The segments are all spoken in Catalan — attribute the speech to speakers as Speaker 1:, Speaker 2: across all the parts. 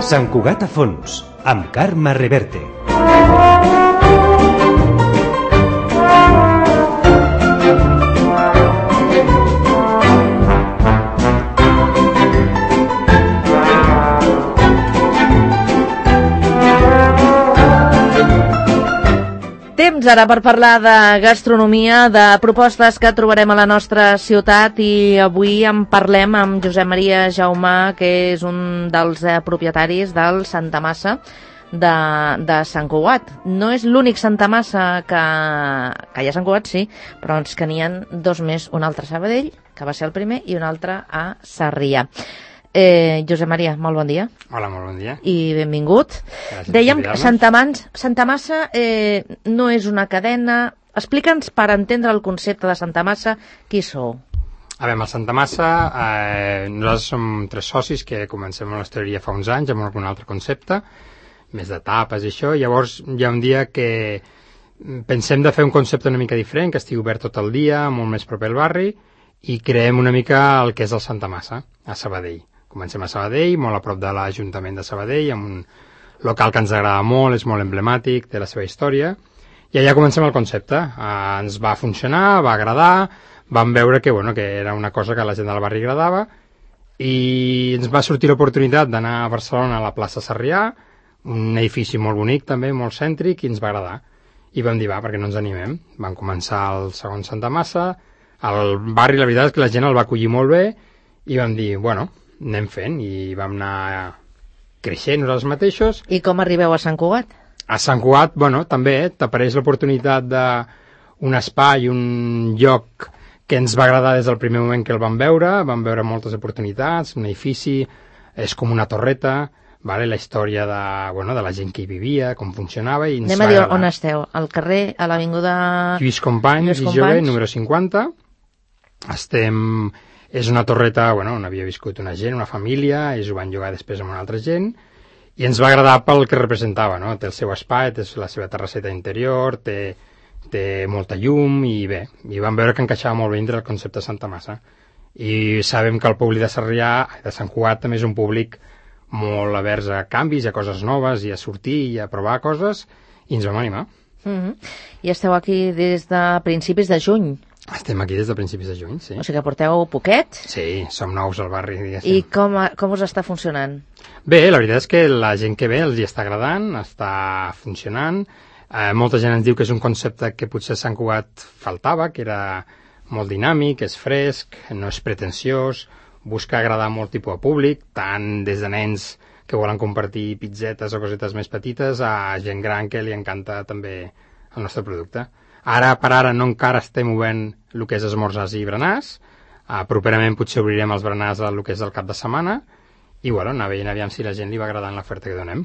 Speaker 1: Sant Cugat a fons, amb Carme Reverte.
Speaker 2: Temps ara per parlar de gastronomia, de propostes que trobarem a la nostra ciutat, i avui en parlem amb Josep Maria Jaumà, que és un dels propietaris del Santa Massa de Sant Cugat. No és l'únic Santa Massa que hi ha a Sant Cugat, sí, però és que n'hi ha dos més, un altre a Sabadell, que va ser el primer, i un altre a Sarrià. Josep Maria, molt bon dia.
Speaker 3: Hola, molt bon dia.
Speaker 2: I benvingut.
Speaker 3: Gràcies.
Speaker 2: Dèiem que Santa Massa no és una cadena. Explica'ns, per entendre el concepte de Santa Massa, qui sou?
Speaker 3: A veure, amb el Santa Massa, nosaltres som 3 socis que comencem amb l'hostaleria fa uns anys, amb algun altre concepte, més de tapes i això. Llavors hi ha un dia que pensem de fer un concepte una mica diferent, que estigui obert tot el dia, molt més proper al barri, i creem una mica el que és el Santa Massa, a Sabadell. Comencem a Sabadell, molt a prop de l'Ajuntament de Sabadell, amb un local que ens agrada molt, és molt emblemàtic, té la seva història, i allà comencem el concepte. Ens va funcionar, va agradar, vam veure que era una cosa que a la gent del barri agradava, i ens va sortir l'oportunitat d'anar a Barcelona a la plaça Sarrià, un edifici molt bonic també, molt cèntric, i ens va agradar. I vam dir, perquè no ens animem? Vam començar el segon Santa Massa, el barri la veritat és que la gent el va acollir molt bé, i vam dir, anem fent, i vam anar creixent nosaltres mateixos.
Speaker 2: I com arribeu a Sant Cugat?
Speaker 3: A Sant Cugat, també t'apareix l'oportunitat d'un espai, un lloc que ens va agradar des del primer moment que el vam veure moltes oportunitats, un edifici, és com una torreta, la història de la gent que hi vivia, com funcionava, i ens va agradar.
Speaker 2: Anem a dir on esteu, al carrer, a l'avinguda
Speaker 3: Lluís Companys i Jove, número 50. És una torreta on havia viscut una gent, una família, ells ho van llogar després amb una altra gent, i ens va agradar pel que representava, no? Té el seu espai, té la seva terrasseta interior, té molta llum, i vam veure que encaixava molt bé dintre el concepte de Santa Massa. I sabem que el públic de Sarrià, de Sant Cugat, també és un públic molt avers a canvis, a coses noves, i a sortir, i a provar coses, i ens vam animar.
Speaker 2: I esteu aquí des de principis de juny.
Speaker 3: Estem aquí des de principis de juny, sí.
Speaker 2: O sigui que porteu poquet?
Speaker 3: Sí, som nous al barri, diguéssim.
Speaker 2: I com us està funcionant?
Speaker 3: Bé, la veritat és que la gent que ve els hi està agradant, està funcionant. Molta gent ens diu que és un concepte que potser a Sant Cugat faltava, que era molt dinàmic, és fresc, no és pretensiós, busca agradar molt tipus de públic, tant des de nens que volen compartir pizzetes o cosetes més petites a gent gran que li encanta també el nostre producte. Ara per ara no encara estem obent el que és esmorzars i berenars, properament potser obrirem els berenars el que és el cap de setmana, i anar veient aviam si la gent li va agradant l'oferta que donem.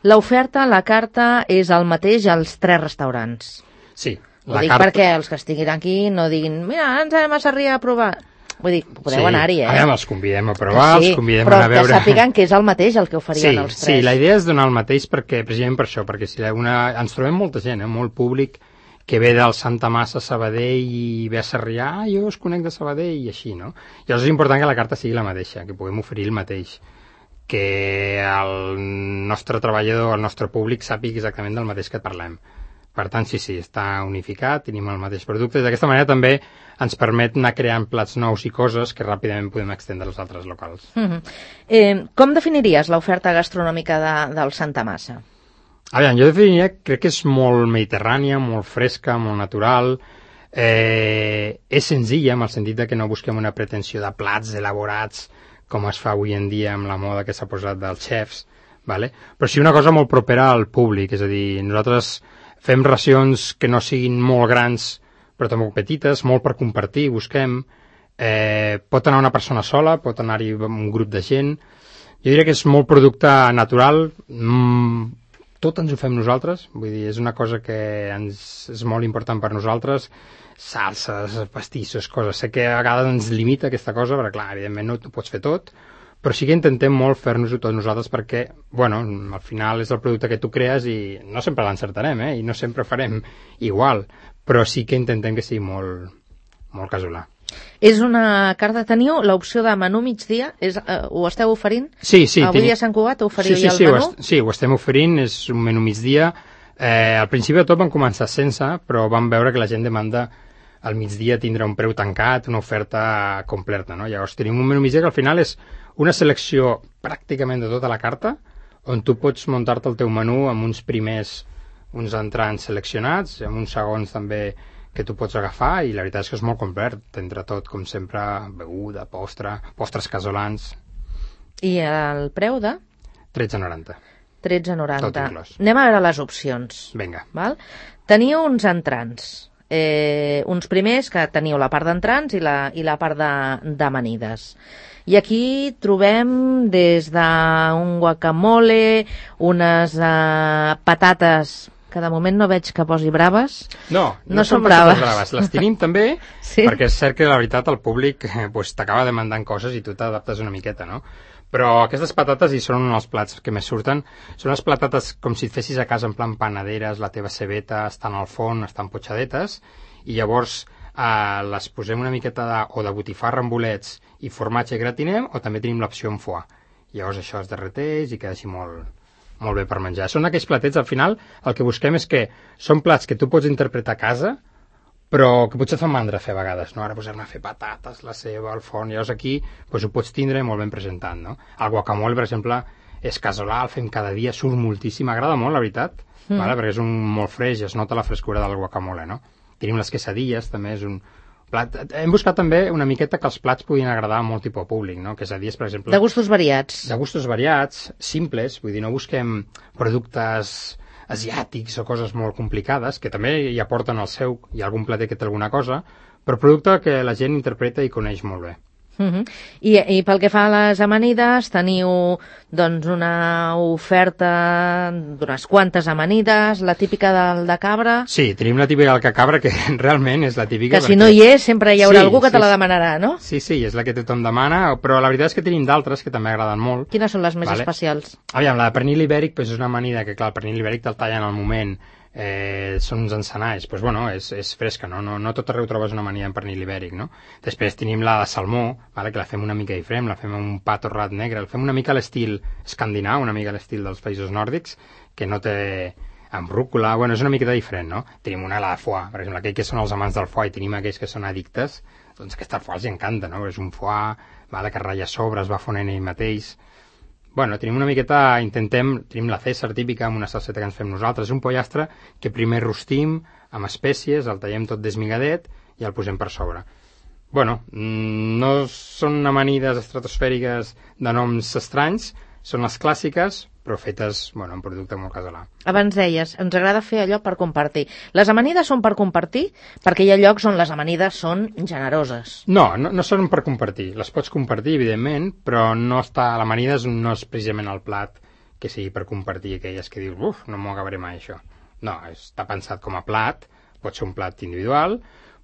Speaker 2: L'oferta, la carta, és el mateix als 3 restaurants?
Speaker 3: Sí.
Speaker 2: Ho dic perquè els que estiguin aquí no diguin, mira, ens anem a Sarrià a provar. Vull dir, podeu anar-hi,
Speaker 3: els convidem a provar, els convidem a
Speaker 2: anar
Speaker 3: a veure...
Speaker 2: Però que sàpiguen que és el mateix el que oferien els 3.
Speaker 3: Sí, la idea és donar el mateix precisament per això, perquè si ens trobem molta gent, molt públic, que ve del Santa Massa a Sabadell i ve a Sarrià, jo us conec de Sabadell, i així, no? Llavors és important que la carta sigui la mateixa, que puguem oferir el mateix, que el nostre treballador, el nostre públic sàpiga exactament del mateix que parlem. Per tant, sí, està unificat, tenim el mateix producte, i d'aquesta manera també ens permet anar creant plats nous i coses que ràpidament podem extendre als altres locals.
Speaker 2: Com definiries l'oferta gastronòmica del Santa Massa?
Speaker 3: A veure, jo definiria, crec que és molt mediterrània, molt fresca, molt natural, és senzilla en el sentit que no busquem una pretensió de plats elaborats com es fa avui en dia amb la moda que s'ha posat dels xefs, però sí una cosa molt propera al públic, és a dir, nosaltres fem racions que no siguin molt grans però tampoc petites, molt per compartir, busquem, pot anar una persona sola, pot anar-hi un grup de gent, jo diria que és molt producte natural, tot ens ho fem nosaltres, vull dir, és una cosa que és molt important per nosaltres, salses, pastissos, coses. Sé que a vegades ens limita aquesta cosa, perquè clar, evidentment no t'ho pots fer tot, però sí que intentem molt fer-nos-ho tot nosaltres perquè, al final és el producte que tu crees i no sempre l'encertarem, i no sempre farem igual, però sí que intentem que sigui molt casolà.
Speaker 2: És una carta, teniu l'opció de menú migdia, ho esteu oferint?
Speaker 3: Sí.
Speaker 2: Avui a Sant Cugat oferiu ja el menú?
Speaker 3: Sí, ho estem oferint, és un menú migdia. Al principi de tot vam començar sense, però vam veure que la gent demanda al migdia tindre un preu tancat, una oferta completa, no? Llavors tenim un menú migdia que al final és una selecció pràcticament de tota la carta, on tu pots muntar-te el teu menú amb uns entrants seleccionats, amb uns segons també que tu pots agafar, i la veritat és que és molt complet, tindrà tot, com sempre, beguda, postres casolans.
Speaker 2: I el preu de?
Speaker 3: 13,90.
Speaker 2: 13,90.
Speaker 3: Tot inclòs.
Speaker 2: Anem a veure les opcions.
Speaker 3: Vinga.
Speaker 2: Val? Teniu uns entrants. Uns primers que teniu la part d'entrants i la part d'amanides. I aquí trobem des d'un guacamole, unes patates que de moment no veig que posi braves.
Speaker 3: No
Speaker 2: són
Speaker 3: braves.
Speaker 2: braves.
Speaker 3: Les tenim també,
Speaker 2: sí?
Speaker 3: Perquè és cert que la veritat el públic t'acaba demandant coses i tu t'adaptes una miqueta, no? Però aquestes patates hi són els plats que més surten. Són les patates com si et fessis a casa en plan panaderes, la teva cebeta estan al forn, estan potxadetes, i llavors les posem una miqueta o de botifarra amb bolets i formatge i gratinem, o també tenim l'opció amb foie. Llavors això es derreteix i queda així molt bé per menjar. Són aquells platets, al final, el que busquem és que són plats que tu pots interpretar a casa, però que potser et fan mandra fer a vegades, no? Ara posem a fer patates, la ceba, el forn, llavors aquí ho pots tindre molt ben presentat, no? El guacamole, per exemple, és casolà, el fem cada dia, surt moltíssim, m'agrada molt, la veritat, vale? Perquè és molt fresc i es nota la frescura del guacamole, no? Tenim les quesadilles, també és un plat. Hem buscat també una miqueta que els plats puguin agradar a molt tipus públic, no? Quesadilles, per exemple...
Speaker 2: De gustos variats.
Speaker 3: De gustos variats, simples, vull dir, no busquem productes asiàtics o coses molt complicades, que també hi aporten el seu, hi ha algun plater que té alguna cosa, però producte que la gent interpreta i coneix molt bé.
Speaker 2: I pel que fa a les amanides, teniu doncs una oferta d'unes quantes amanides, la típica del de cabra...
Speaker 3: Sí, tenim la típica del de cabra, que realment és la típica...
Speaker 2: Que si no hi és, sempre hi haurà algú que te la demanarà, no?
Speaker 3: Sí, és la que tothom demana, però la veritat és que tenim d'altres que també agraden molt.
Speaker 2: Quines són les més especials?
Speaker 3: Aviam, la de pernil ibèric és una amanida que, clar, el pernil ibèric te'l tallen al moment, són uns encenalls, doncs bueno, és fresca, no tot arreu trobes una amanida en pernil ibèric, no? Després tenim la de salmó, vale, que la fem una mica diferent, la fem amb un pa torrat negre, la fem una mica a l'estil escandinau, una mica a l'estil dels països nòrdics, que no té amb rúcula, bueno, és una miqueta diferent, no? Tenim una, la de foie, per exemple, aquells que són els amants del foie i tenim aquells que són addictes, doncs aquesta foie els encanta, no? És un foie, vale, que ratlla sobre, es va fonent ell mateix. Bueno, tenim una miqueta, tenim la César típica amb una salseta que ens fem nosaltres, és un pollastre que primer rostim amb espècies, el tallem tot desmigadet i el posem per sobre. Bueno, no són amanides estratosfèriques de noms estranys, són les clàssiques, però fetes, bueno, en producte molt casolà.
Speaker 2: Abans deies, ens agrada fer allò per compartir. Les amanides són per compartir? Perquè hi ha llocs on les amanides són generoses.
Speaker 3: No són per compartir. Les pots compartir, evidentment, però l'amanida no és precisament el plat que sigui per compartir, aquelles que dius, no m'ho acabaré mai, això. No, està pensat com a plat, pot ser un plat individual,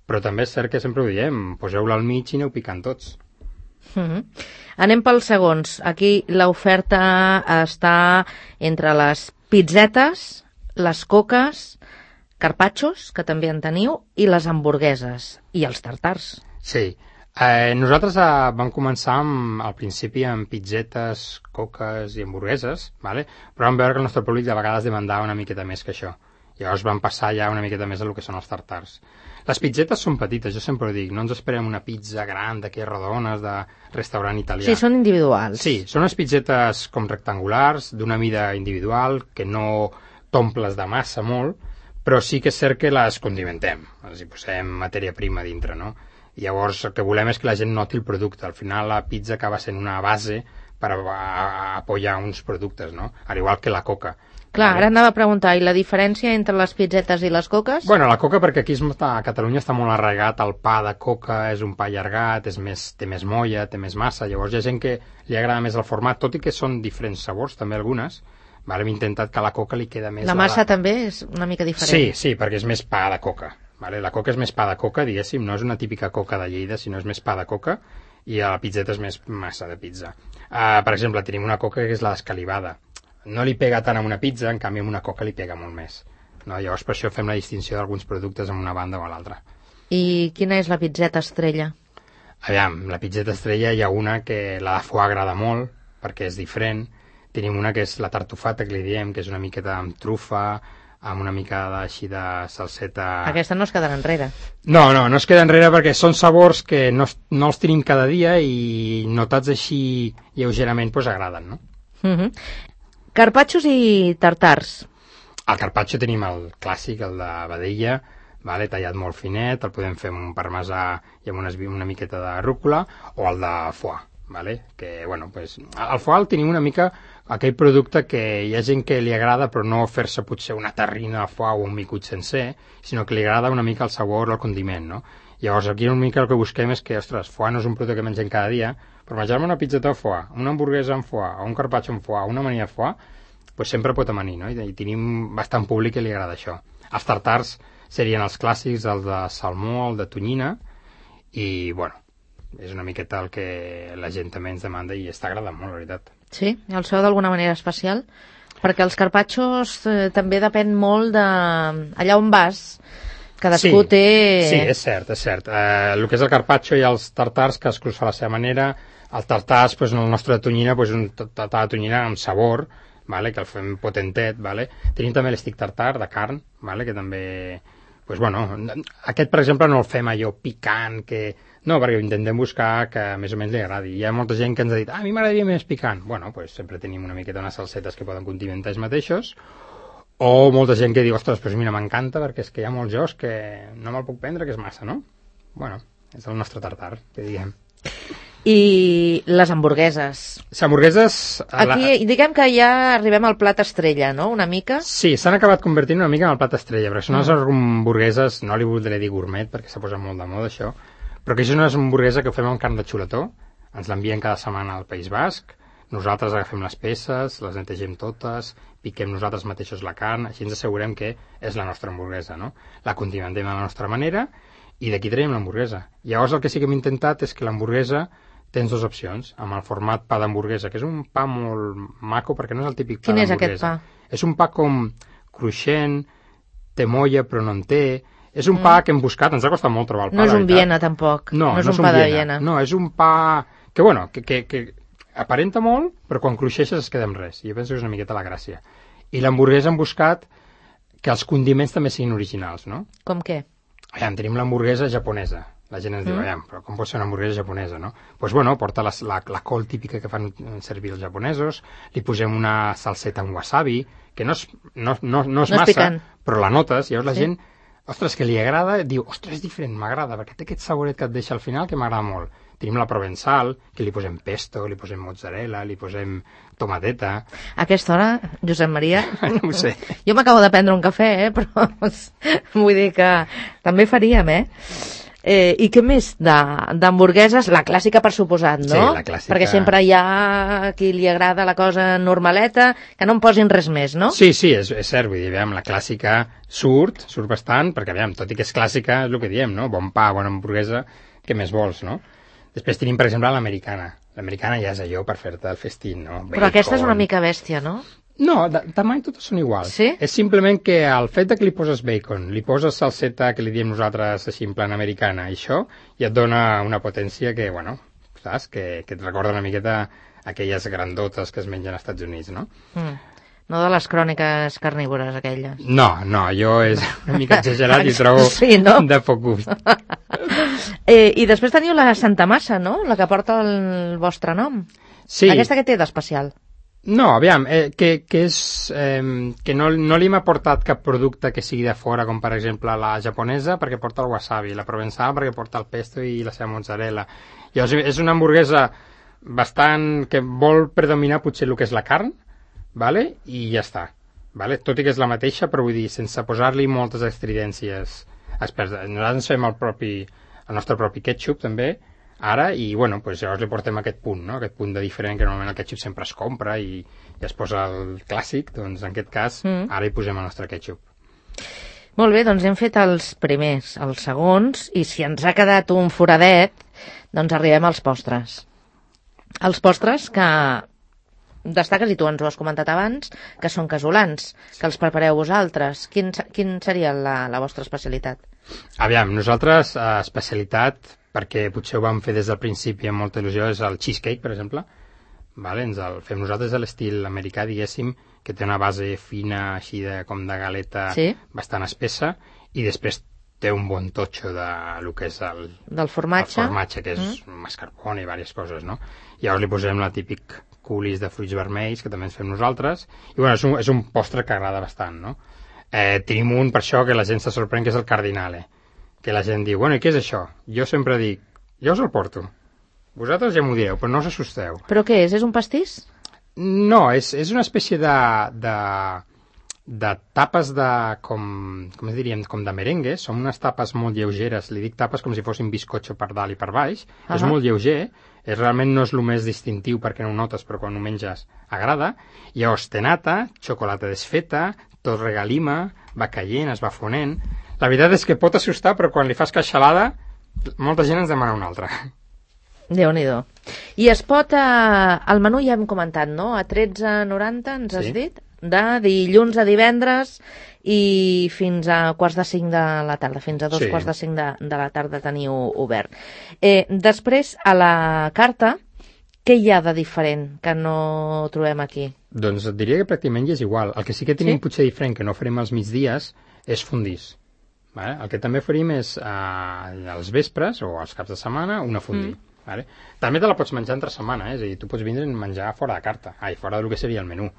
Speaker 3: però també és cert que sempre ho diem, poseu-la al mig i aneu picant tots.
Speaker 2: Anem pels segons. Aquí l'oferta està entre les pizzetes, les coques, carpaccios, que també en teniu, i les hamburgueses, i els tartars.
Speaker 3: Sí. Nosaltres vam començar al principi amb pizzetes, coques i hamburgueses, vale? Però vam veure que el nostre públic de vegades demandava una miqueta més que això. Llavors vam passar ja una miqueta més a lo que són els tartars. Les pizzetes són petites, jo sempre ho dic, no ens esperem una pizza gran d'aquelles rodones de restaurant italià.
Speaker 2: Sí, són individuals.
Speaker 3: Sí, són unes pizzetes com rectangulars, d'una mida individual, que no t'omples de massa molt, però sí que és cert que les condimentem, els hi posem matèria prima dintre, no? I llavors el que volem és que la gent noti el producte. Al final la pizza acaba sent una base per apoyar uns productes, no? Al igual que la coca.
Speaker 2: Clar, ara anava a preguntar, i la diferència entre les pizzetes i les coques?
Speaker 3: Bueno, la coca, perquè aquí a Catalunya està molt arraigat, el pa de coca és un pa allargat, té més molla, té més massa, llavors hi ha gent que li agrada més el format, tot i que són diferents sabors, també algunes, vale? Hem intentat que a la coca li queda més...
Speaker 2: La massa també és una mica diferent.
Speaker 3: Sí, perquè és més pa de coca, vale? La coca és més pa de coca, diguéssim, no és una típica coca de Lleida, sinó és més pa de coca, i a la pizzeta és més massa de pizza. Per exemple, tenim una coca que és la escalivada. No li pega tant amb una pizza, en canvi amb una coca li pega molt més. No? Llavors per això fem la distinció d'alguns productes en una banda o a l'altra.
Speaker 2: I quina és la pizzeta estrella?
Speaker 3: Aviam, la pizzeta estrella hi ha una que la de foie agrada molt, perquè és diferent. Tenim una que és la tartufata, que li diem, que és una miqueta amb trufa, amb una mica així de salseta...
Speaker 2: Aquesta no es quedarà enrere.
Speaker 3: No es queda enrere perquè són sabors que no els tenim cada dia i notats així lleugerament doncs agraden, no?
Speaker 2: Carpaccios i tartars.
Speaker 3: Al carpaccio tenim el clàssic, el de vedella, vale, tallat molt finet, el podem fer amb un parmesà i amb una miqueta de rúcula, o el de foie, vale? Que, bueno, pues, el foie el tenim una mica aquell producte que hi ha gent que li agrada però no fer-se potser una terrina de foie o un micut sencer, sinó que li agrada una mica el sabor, el condiment, no? Llavors aquí una mica el que busquem és que, ostres, foie no és un producte que mengem cada dia, però menjar-me una pizzeta de foie, una hamburguesa amb foie, o un carpaccio amb foie, una amanida de foie, pues sempre pot amanir, no? I tenim bastant públic que li agrada això. Els tartars serien els clàssics, el de salmó, el de tonyina, i, bueno, és una miqueta el que la gent també ens demanda i està agradant molt, la veritat.
Speaker 2: Sí? El seu d'alguna manera especial? Perquè els carpaccios també depèn molt de... allà on vas, cadascú té...
Speaker 3: Sí, és cert, és cert. El que és el carpaccio i els tartars, cadascú fa la seva manera. El tartars, pues, el nostre de tonyina, pues, un tartar de tonyina amb sabor, vale, que el fem potentet, vale. Tenim també l'estic tartar de carn, vale, que també... Pues, bueno, aquest, per exemple, no el fem allò picant, que... No, perquè intentem buscar que més o menys li agradi. Hi ha molta gent que ens ha dit, a mi m'agradaria més picant. Bueno, pues sempre tenim una miqueta unes salsetes que poden condimentar ells mateixos. O molta gent que diu, ostres, pues mira, m'encanta perquè és que hi ha molts jocs que no me'l puc prendre, que és massa, no? Bueno, és el nostre tartar, que diguem.
Speaker 2: I les hamburgueses.
Speaker 3: Les hamburgueses...
Speaker 2: Aquí diguem que ja arribem al plat estrella, no?, una mica.
Speaker 3: Sí, s'han acabat convertint una mica en el plat estrella, perquè són unes hamburgueses, no li voldré dir gourmet, perquè s'ha posat molt de moda això, però que és una hamburguesa que fem amb carn de xuletó, ens l'envien cada setmana al País Basc, nosaltres agafem les peces, les netegem totes, piquem nosaltres mateixos la carn, així ens assegurem que és la nostra hamburguesa, no? La condimentem de la nostra manera i d'aquí traiem l'hamburguesa. Llavors el que sí que hem intentat és que l'hamburguesa tens dues opcions, amb el format pa d'hamburguesa, que és un pa molt maco, perquè no és el típic pa d'hamburguesa.
Speaker 2: Quin és aquest pa?
Speaker 3: És un pa com cruixent, té molla però no en té. És un pa que hem buscat, ens ha costat molt trobar el pa,
Speaker 2: no és un Viena, tampoc.
Speaker 3: No és un pa de Viena. No, és un pa que, bueno, que aparenta molt, però quan cruixeixes es queda amb res. I jo penso que és una miqueta la gràcia. I l'hamburguesa hem buscat que els condiments també siguin originals, no?
Speaker 2: Com què?
Speaker 3: Aviam, tenim l'hamburguesa japonesa. La gent ens diu, aviam, però com pot ser una hamburguesa japonesa, no? Doncs, pues, bueno, porta la col típica que fan servir els japonesos, li posem una salseta amb wasabi, que no és massa,
Speaker 2: picant,
Speaker 3: però la notes, llavors la gent, ostres, que li agrada, diu, ostres, és diferent, m'agrada, perquè té aquest saboret que et deixa al final que m'agrada molt. Tenim la provençal, que li posem pesto, li posem mozzarella, li posem tomateta...
Speaker 2: A aquesta hora, Josep Maria...
Speaker 3: No ho sé.
Speaker 2: Jo m'acabo de prendre un cafè, però vull dir que també faríem, I què més d'hamburgueses? La clàssica, per suposat, no?
Speaker 3: Sí, la clàssica.
Speaker 2: Perquè sempre hi ha qui li agrada la cosa normaleta, que no en posin res més, no?
Speaker 3: Sí, és cert, vull dir, aviam, la clàssica surt bastant, perquè, aviam, tot i que és clàssica, és el que diem, no? Bon pa, bona hamburguesa, què més vols, no? Després tenim, per exemple, l'americana. L'americana ja és allò per fer-te el festín, no?
Speaker 2: Però aquesta és una mica bèstia, no?
Speaker 3: No, de tamany totes són iguals.
Speaker 2: Sí?
Speaker 3: És simplement que el fet que li poses bacon, li poses salseta, que li diem nosaltres així en plan americana, i això, i et dona una potència que, bueno, saps? Que et recorda una miqueta aquelles grandotes que es mengen als Estats Units, no?
Speaker 2: No de les cròniques carnívores, aquelles.
Speaker 3: No, jo és una mica exagerat i trobo
Speaker 2: sí, no?
Speaker 3: de poc gust.
Speaker 2: I després teniu la Santa Massa, no?, la que porta el vostre nom.
Speaker 3: Sí.
Speaker 2: Aquesta què té d'especial?
Speaker 3: No, aviam, que és que no li hem aportat cap producte que sigui de fora, com per exemple la japonesa perquè porta el wasabi, la provençal perquè porta el pesto i la seva mozzarella. Llavors és una hamburguesa bastant que vol predominar potser el que és la carn, vale? I ja està, vale? Tot i que és la mateixa, però vull dir, sense posar-li moltes estridències experts. Nosaltres ens fem el nostre propi ketchup també ara, i bueno, pues llavors li portem aquest punt, no? Aquest punt de diferent, que normalment el ketchup sempre es compra i es posa el clàssic, doncs en aquest cas ara hi posem el nostre ketchup.
Speaker 2: Molt bé, doncs hem fet els primers, els segons, i si ens ha quedat un foradet, doncs arribem als postres. Els postres que destaques, i tu ens ho has comentat abans, que són casolans, que els prepareu vosaltres. Quin seria la vostra especialitat?
Speaker 3: Aviam, nosaltres, especialitat perquè potser ho vam fer des del principi amb molta il·lusió, és el cheesecake, per exemple. Vale? Ens el fem nosaltres a l'estil americà, diguéssim, que té una base fina, així com de galeta, bastant espessa, i després té un bon totxo del que és
Speaker 2: del formatge,
Speaker 3: que és mascarpone i diverses coses, no? Llavors li posem la típic coulis de fruits vermells, que també ens fem nosaltres, i bueno, és un postre que agrada bastant, no? Tenim un, per això, que la gent se sorprèn, que és el cardinale, que la gent diu, bueno, i què és això? Jo sempre dic, jo us el porto. Vosaltres ja m'ho direu, però no us assusteu.
Speaker 2: Però què és? És un pastís?
Speaker 3: No, és una espècie de tapes com es diríem, com de merengue. Són unes tapes molt lleugeres, li dic tapes com si fossin bizcocho per dalt i per baix. És molt lleuger, realment no és el més distintiu perquè no ho notes, però quan ho menges agrada. Llavors té nata, xocolata desfeta, torrega lima, va caient, es va fonent. La veritat és que pot assustar, però quan li fas queixalada, molta gent ens demana una altra.
Speaker 2: Déu-n'hi-do. I es pot, el menú ja hem comentat, no? A 13,90 ens has dit? De dilluns a divendres i fins a 4:45 de la tarda, fins a 2:45 de la tarda teniu obert. Després, a la carta, què hi ha de diferent que no trobem aquí?
Speaker 3: Doncs et diria que pràcticament és igual. El que sí que tenim potser diferent, que no farem als migdies, és fondís. Vale? El que també farim és als vespres o als caps de setmana una fondí. Vale? També te la pots menjar entre setmana, és a dir, tu pots vindre i menjar fora de carta, fora del que seria el menú.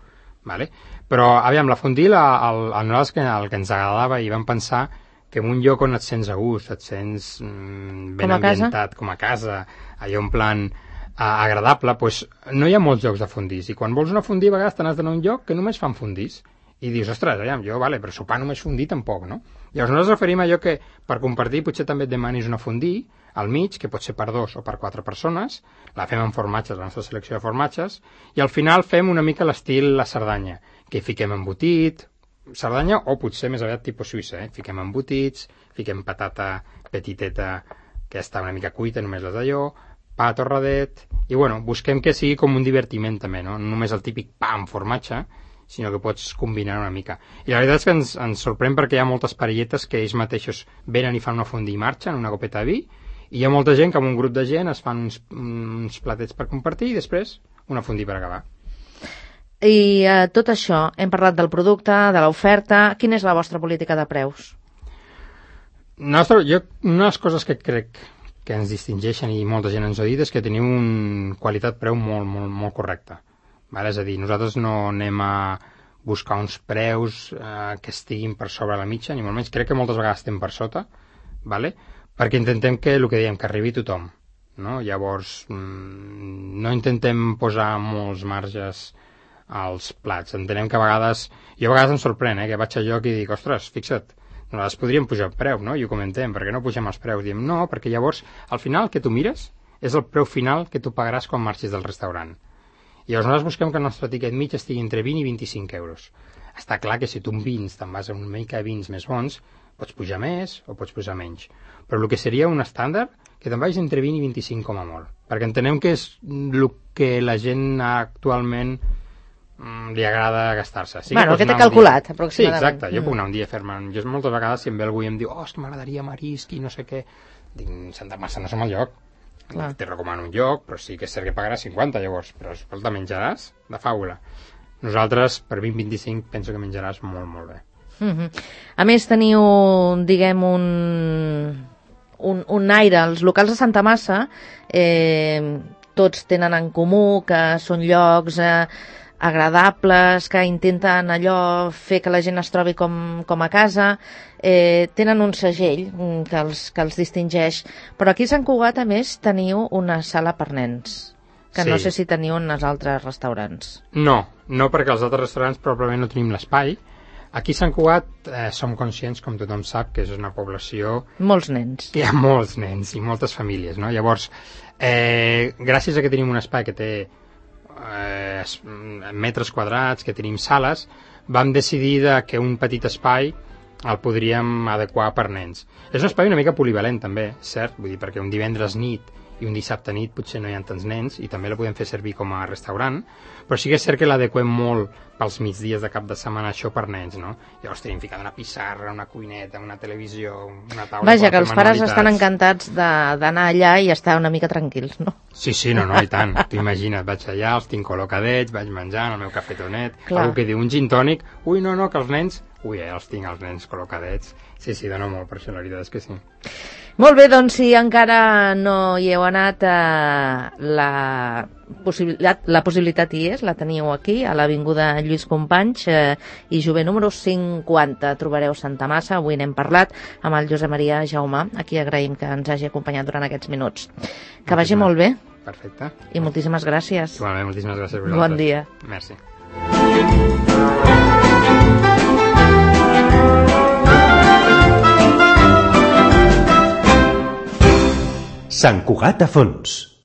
Speaker 3: Vale? Però, aviam, la fondí, nosaltres el que ens agradava i vam pensar que en un lloc on et sents a gust, et sents ben ambientat, com a casa, allò en plan agradable, doncs no hi ha molts llocs de fondís, i quan vols una fondí a vegades te n'has d'anar a un lloc que només fan fondís, i dius, ostres, aviam, però sopar només fondí tampoc, no? Llavors nosaltres referim a allò que per compartir potser també et demanis una fondí al mig, que pot ser per 2 o per 4 persones, la fem amb formatges, la nostra selecció de formatges, i al final fem una mica l'estil la Cerdanya, que hi fiquem embotit, Cerdanya o potser més aviat tipus suïssa, fiquem embotits, fiquem patata petiteta que està una mica cuita, només les d'allò, pa torradet, i bueno, busquem que sigui com un divertiment també, no només el típic pa amb formatge, sinó que pots combinar una mica. I la veritat és que ens sorprèn perquè hi ha moltes parelletes que ells mateixos venen i fan una fondí i marxen, una copeta de vi, i hi ha molta gent que amb un grup de gent es fan uns platets per compartir i després una fondí per acabar.
Speaker 2: I tot això, hem parlat del producte, de l'oferta. Quina és la vostra política de preus?
Speaker 3: Una de les coses que crec que ens distingeixen i molta gent ens ho ha dit és que teniu una qualitat-preu molt, molt, molt correcta. Vale? És a dir, nosaltres no anem a buscar uns preus que estiguin per sobre la mitja, ni molt menys. Crec que moltes vegades estem per sota, vale? Perquè intentem que el que diem, que arribi tothom, no? Llavors no intentem posar molts marges als plats. Entenem que a vegades em sorprèn, que vaig a lloc i dic, ostres, fixa't, nosaltres podríem pujar el preu, no? I ho comentem, perquè no pugem els preus? Diem, no, perquè llavors al final el que tu mires és el preu final que tu pagaràs quan marxis del restaurant. I llavors nosaltres busquem que el nostre tiquet mig estigui entre 20 i 25 euros. Està clar que si tu en vins te'n vas a una mica de vins més bons, pots pujar més o pots pujar menys. Però el que seria un estàndard, que te'n vagis entre 20 i 25 com a molt. Perquè entenem que és el que la gent actualment li agrada gastar-se. Sí,
Speaker 2: el que t'he calculat, aproximadament.
Speaker 3: Sí, exacte. Jo puc anar un dia a fer-me... Jo moltes vegades, si em ve algú i em diu és que m'agradaria marisc i no sé què, dic, Santa Massa no som el lloc. Te recomano un lloc, però sí que és cert que pagaràs 50 llavors, però escolta, menjaràs de faula. Nosaltres, per 20-25, penso que menjaràs molt, molt bé.
Speaker 2: A més, teniu, diguem, un aire. Els locals de Santa Massa tots tenen en comú que són llocs agradables, que intenten allò fer que la gent es trobi com a casa, tenen un segell que els distingeix, però aquí a Sant Cugat a més teniu una sala per nens, que no sé si teniu en els altres restaurants.
Speaker 3: No, perquè als altres restaurants probablement no tenim l'espai. Aquí a Sant Cugat som conscients, com tothom sap, que és una població...
Speaker 2: Molts nens.
Speaker 3: Hi ha molts nens i moltes famílies, no? Llavors, gràcies a que tenim un espai que té metres quadrats, que tenim sales, vam decidir que un petit espai el podríem adequar per nens. És un espai una mica polivalent també, cert? Vull dir, perquè un divendres nit i un dissabte nit potser no hi ha tants nens i també la podem fer servir com a restaurant, però sí que és cert que l'adequem molt pels migdies de cap de setmana això per nens, no? Llavors tenim ficat una pissarra, una cuineta, una televisió, una taula...
Speaker 2: Vaja, que els pares estan encantats d'anar allà i estar una mica tranquils, no?
Speaker 3: Sí, no, i tant. Tu imagina't, vaig allà, els tinc col·locadets, vaig menjant el meu cafetonet, algú que diu un gin tònic, ui, no, que els nens... Ui, els tinc els nens col·locadets. Sí, dona molt per això, la veritat és que sí.
Speaker 2: Molt bé, doncs si encara no hi heu anat, la possibilitat hi és, la teniu aquí, a l'Avinguda Lluís Companys i Jové número 50. Trobareu Santa Massa, avui n'hem parlat amb el Josep Maria Jaumà, a qui agraïm que ens hagi acompanyat durant aquests minuts. Que vagi molt bé.
Speaker 3: Perfecte.
Speaker 2: I moltíssimes gràcies.
Speaker 3: Igualment, moltíssimes gràcies a vosaltres.
Speaker 2: Bon dia.
Speaker 3: Merci.
Speaker 1: Sant Cugat a fons.